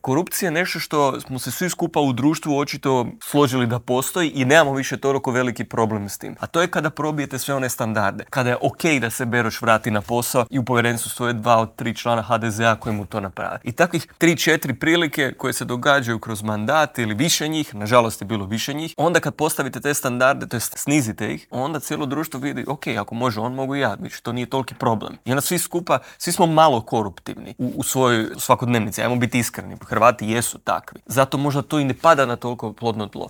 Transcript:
korupcija je nešto što smo se svi skupa u društvu očito složili da postoji i nemamo više toliko veliki problem s tim. A to je kada probijete sve one standarde. Kada je okej da se Beroš vrati na posao i u povjerenstvu stoje 2 od 3 člana HDZ-a koji mu to naprave. I takvih 3-4 prilike koje se događaju kroz mandat ili više njih, nažalost je bilo više njih, onda kad postavite te standarde, to jest snizite ih, onda cijelo društvo vidi, ako može on, mogu i ja, više to nije toliki problem. I onda svi smo malo koruptivni u svojoj svakodnevnici, ajmo biti iskreni, Hrvati jesu takvi. Zato možda to i ne pada na toliko plodno tlo.